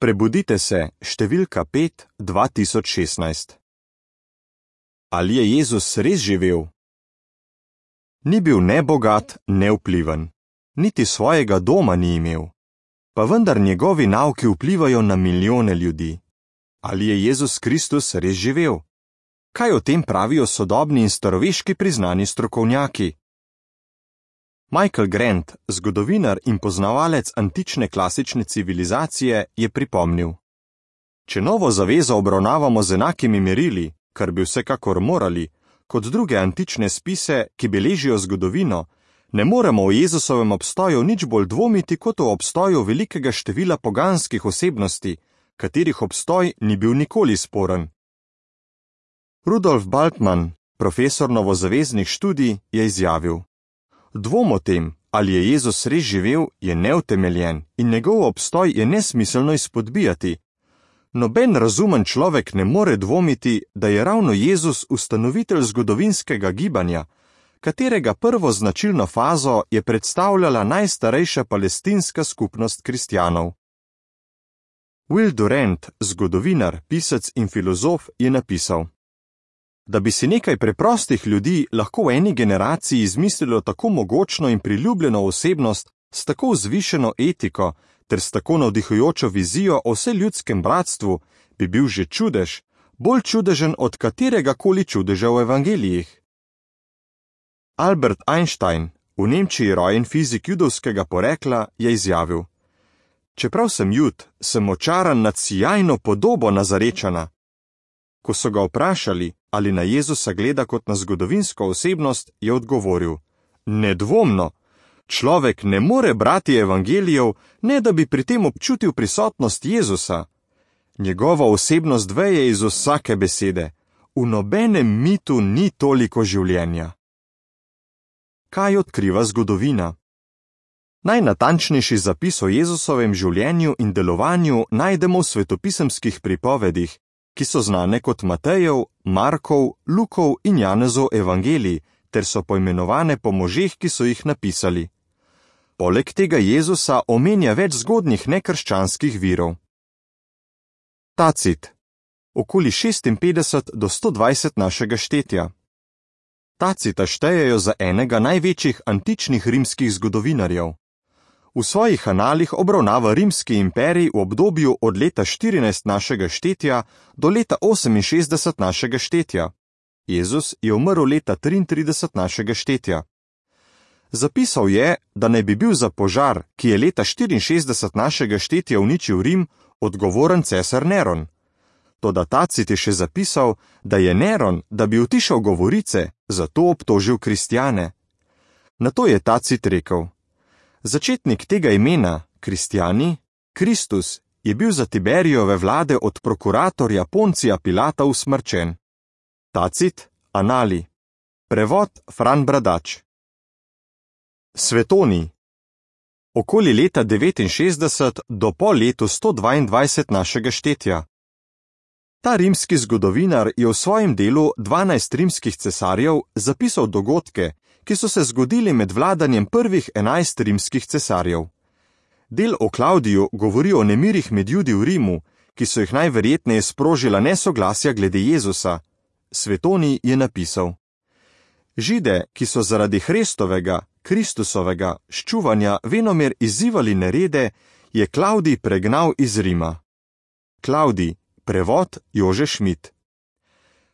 Prebudite se, številka 5, 2016. Ali je Jezus res živel? Ni bil ne bogat, ne vpliven, niti svojega doma ni imel, pa vendar njegovi nauki vplivajo na milijone ljudi. Ali je Jezus Kristus res živel? Kaj o tem pravijo sodobni in staroveški priznani strokovnjaki? Michael Grant, zgodovinar in poznavalec antične klasične civilizacije, je pripomnil: Če Novo zavezo obravnavamo z enakimi merili, kar bi vsekakor morali, kot druge antične spise, ki beležijo zgodovino, ne moremo o Jezusovem obstoju nič bolj dvomiti kot o obstoju velikega števila poganskih osebnosti, katerih obstoj ni bil nikoli sporen. Rudolf Bultmann, profesor novozaveznih študij, je izjavil: Dvom o tem, ali je Jezus res živel, je neutemeljen in njegov obstoj je nesmiselno izpodbijati. Noben razumen človek ne more dvomiti, da je ravno Jezus ustanovitelj zgodovinskega gibanja, katerega prvo značilno fazo je predstavljala najstarejša palestinska skupnost kristjanov. Will Durant, zgodovinar, pisec in filozof, je napisal: Da bi si nekaj preprostih ljudi lahko v eni generaciji izmislilo tako mogočno in priljubljeno osebnost s tako vzvišeno etiko ter s tako navdihujočo vizijo o vseljudskem bratstvu, bi bil že čudež, bolj čudežen od katerega koli čudeža v evangelijih. Albert Einstein, v Nemčiji rojen fizik judovskega porekla, je izjavil: Čeprav sem Jud, sem očaran nad sijajno podobo Nazarečana. Ko so ga vprašali, ali na Jezusa gleda kot na zgodovinsko osebnost, je odgovoril: Nedvomno, človek ne more brati evangelijev, ne da bi pri tem občutil prisotnost Jezusa. Njegova osebnost veje iz vsake besede. V nobenem mitu ni toliko življenja. Kaj odkriva zgodovina? Najnatančnejši zapis o Jezusovem življenju in delovanju najdemo v svetopisemskih pripovedih, ki so znane kot Matejev, Markov, Lukov in Janezov evangelij, ter so poimenovane po možeh, ki so jih napisali. Poleg tega Jezusa omenja več zgodnjih nekrščanskih virov. Tacit, okoli 56 do 120 našega štetja. Tacita štejejo za enega največjih antičnih rimskih zgodovinarjev. V svojih analih obravnava rimski imperij v obdobju od leta 14 našega štetja do leta 68 našega štetja. Jezus je umrl leta 33 našega štetja. Zapisal je, da naj bi bil za požar, ki je leta 64 našega štetja uničil Rim, odgovoren cesar Neron. Toda Tacit je še zapisal, da je Neron, da bi utišal govorice, zato obtožil kristjane. Nato je Tacit rekel: Začetnik tega imena, kristjani, Kristus, je bil za Tiberijove vlade od prokuratorja Poncija Pilata usmrčen. Tacit, Anali. Prevod Fran Bradač. Svetoni. Okoli leta 69 do po letu 122 našega štetja. Ta rimski zgodovinar je v svojem delu 12 rimskih cesarjev zapisal dogodke, ki so se zgodili med vladanjem prvih 11 rimskih cesarjev. Del o Klavdiju govori o nemirih med Judi v Rimu, ki so jih najverjetneje sprožila nesoglasja glede Jezusa. Svetoni je napisal: Žide, ki so zaradi Hrestovega, Kristusovega, ščuvanja venomer izzivali nerede, je Klavdij pregnal iz Rima. Klavdij, prevod Jože Šmit.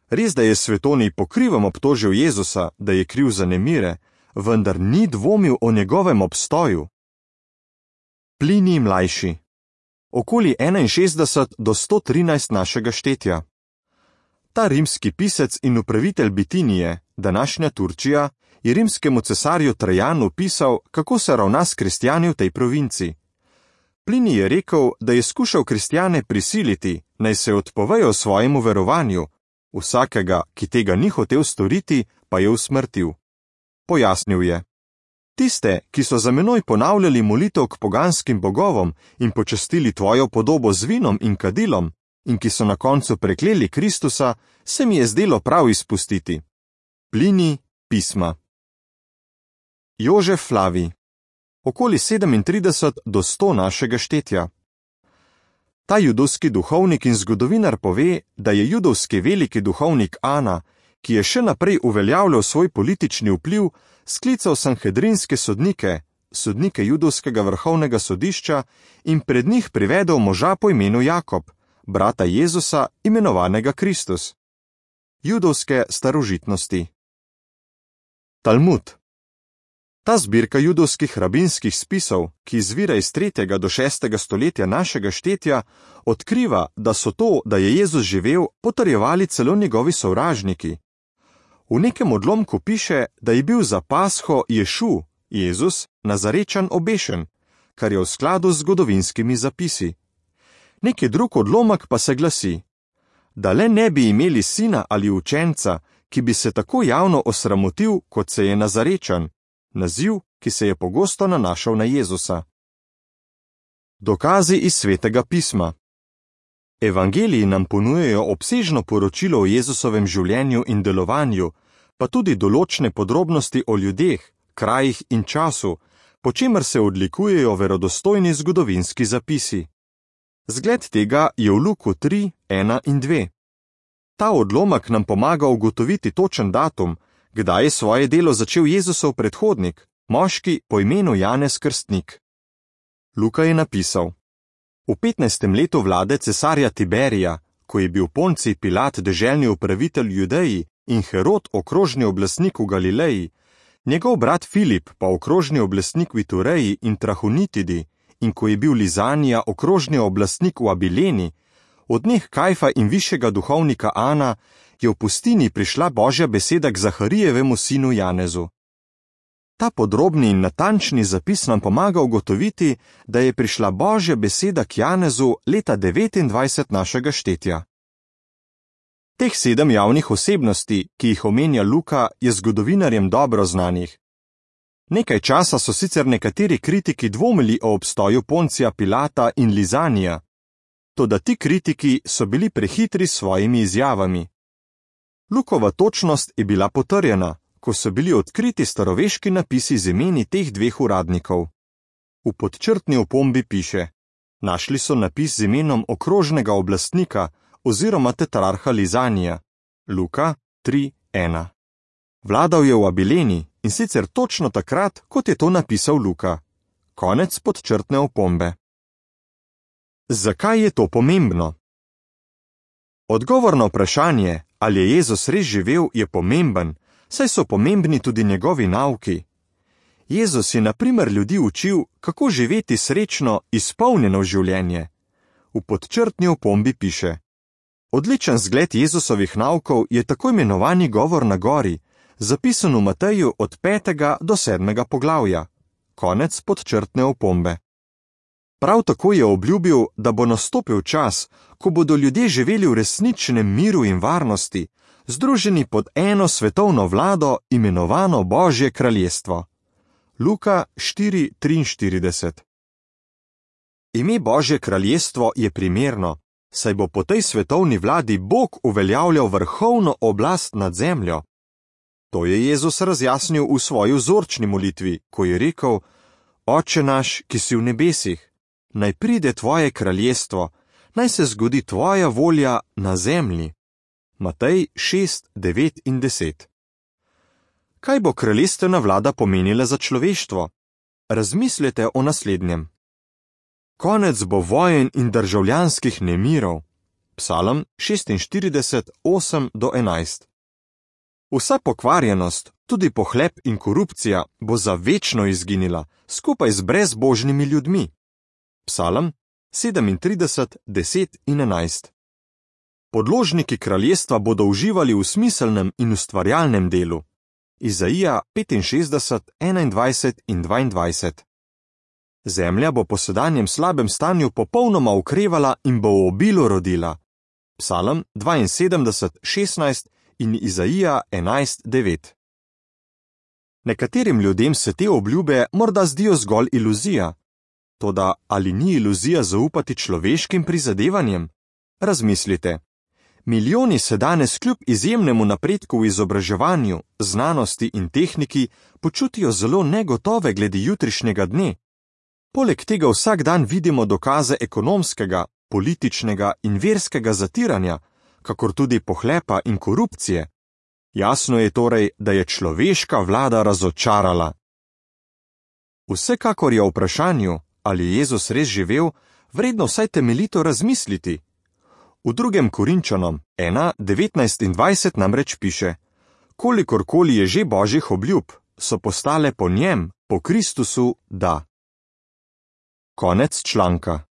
Res, da je Svetoni po krivem obtožil Jezusa, da je kriv za nemire, vendar ni dvomil o njegovem obstoju. Plinij mlajši. Okoli 61 do 113 našega štetja. Ta rimski pisec in upravitelj Bitinije, današnja Turčija, je rimskemu cesarju Trajanu pisal, kako se ravna s kristjani v tej provinci. Plinij je rekel, da je skušal kristjane prisiliti, naj se odpovejo svojemu verovanju, vsakega, ki tega ni hotel storiti, pa je usmrtil. Pojasnil je: Tiste, ki so za menoj ponavljali molitev k poganskim bogovom in počastili tvojo podobo z vinom in kadilom, in ki so na koncu prekleli Kristusa, se mi je zdelo prav izpustiti. Plinij, pisma. Jožef Flavij. Okoli 37 do 100 našega štetja. Ta judovski duhovnik in zgodovinar pove, da je judovski veliki duhovnik Ana, ki je še naprej uveljavljal svoj politični vpliv, sklical sanhedrinske sodnike, sodnike judovskega vrhovnega sodišča in pred njih privedel moža po imenu Jakob, brata Jezusa, imenovanega Kristus. Judovske starožitnosti. Talmud. Ta zbirka judovskih rabinskih spisov, ki izvira iz 3. do 6. stoletja našega štetja, odkriva, da so to, da je Jezus živel, potrjevali celo njegovi sovražniki. V nekem odlomku piše, da je bil za Pasho Ješu, Jezus, Nazarečan obešen, kar je v skladu z zgodovinskimi zapisi. Neki drug odlomek pa se glasi, da le ne bi imeli sina ali učenca, ki bi se tako javno osramotil, kot se je Nazarečan, naziv, ki se je pogosto nanašal na Jezusa. Dokazi iz Svetega pisma. Evangeliji nam ponujajo obsežno poročilo o Jezusovem življenju in delovanju, pa tudi določne podrobnosti o ljudeh, krajih in času, po čemer se odlikujejo verodostojni zgodovinski zapisi. Zgled tega je v Luku 3, 1 in 2. Ta odlomek nam pomaga ugotoviti točen datum, kdaj je svoje delo začel Jezusov predhodnik, moški po imenu Janez Krstnik. Luka je napisal: V 15. letu vlade cesarja Tiberija, ko je bil Poncij Pilat deželni upravitelj Judeji in Herod okrožni oblastnik v Galileji, njegov brat Filip pa okrožni oblastnik v Itureji in Trahonitidi, in ko je bil Lizanija okrožni oblastnik v Abileni, od njih Kajfa in višjega duhovnika Ana, je v pustini prišla Božja beseda k Zaharijevemu sinu Janezu. Ta podrobni in natančni zapis nam pomaga ugotoviti, da je prišla Božja beseda k Janezu leta 29 našega štetja. Teh 7 javnih osebnosti, ki jih omenja Luka, je zgodovinarjem dobro znanih. Nekaj časa so sicer nekateri kritiki dvomili o obstoju Poncija Pilata in Lizanija, toda ti kritiki so bili prehitri s svojimi izjavami. Lukova točnost je bila potrjena, ko so bili odkriti staroveški napisi z imeni teh dveh uradnikov. V podčrtni opombi piše: našli so napis z imenom okrožnega oblastnika oziroma tetrarha Lizanija. Luka 3:1. Vladal je v Abileni in sicer točno takrat, kot je to napisal Luka. Konec podčrtne opombe. Zakaj je to pomembno? Odgovor na vprašanje, ali je Jezus res živel, je pomemben, saj so pomembni tudi njegovi nauki. Jezus je na primer ljudi učil, kako živeti srečno, izpolnjeno življenje. V podčrtni opombi piše: odličen zgled Jezusovih naukov je tako imenovani govor na gori, zapisan v Mateju od 5. do 7. poglavja. Konec podčrtne opombe. Prav tako je obljubil, da bo nastopil čas, ko bodo ljudje živeli v resničnem miru in varnosti, združeni pod eno svetovno vlado, imenovano Božje kraljestvo. Luka 4:43. Ime Božje kraljestvo je primerno, saj bo po tej svetovni vladi Bog uveljavljal vrhovno oblast nad zemljo. To je Jezus razjasnil v svoji vzorčni molitvi, ko je rekel: Oče naš, ki si v nebesih, naj pride tvoje kraljestvo, naj se zgodi tvoja volja na zemlji. Matej 6, 9 in 10. Kaj bo kraljestvena vlada pomenila za človeštvo? Razmislite o naslednjem. Konec bo vojen in državljanskih nemirov. Psalm 46, 8 do 11. Vsa pokvarjenost, tudi pohlep in korupcija, bo za večno izginila, skupaj z brezbožnimi ljudmi. Psalm 37, 10 in 11. Podložniki kraljestva bodo uživali v smiselnem in ustvarjalnem delu. Izaija 65, 21 in 22. Zemlja bo po sedanjem slabem stanju popolnoma okrevala in bo v obilu rodila. Psalm 72, 16 in Izaija 11, 9. Nekaterim ljudem se te obljube morda zdijo zgolj iluzija. Toda ali ni iluzija zaupati človeškim prizadevanjem? Razmislite. Milijoni se danes kljub izjemnemu napredku v izobraževanju, znanosti in tehniki počutijo zelo negotove glede jutrišnjega dne. Poleg tega vsak dan vidimo dokaze ekonomskega, političnega in verskega zatiranja, kakor tudi pohlepa in korupcije. Jasno je torej, da je človeška vlada razočarala. Vsekakor je o vprašanju, ali je Jezus res živel, vredno vsaj temeljito razmisliti. V 2. Korinčanom 1, 19 in 20 namreč piše: Kolikorkoli je že Božjih obljub, so postale po njem, po Kristusu, da. Konec članka.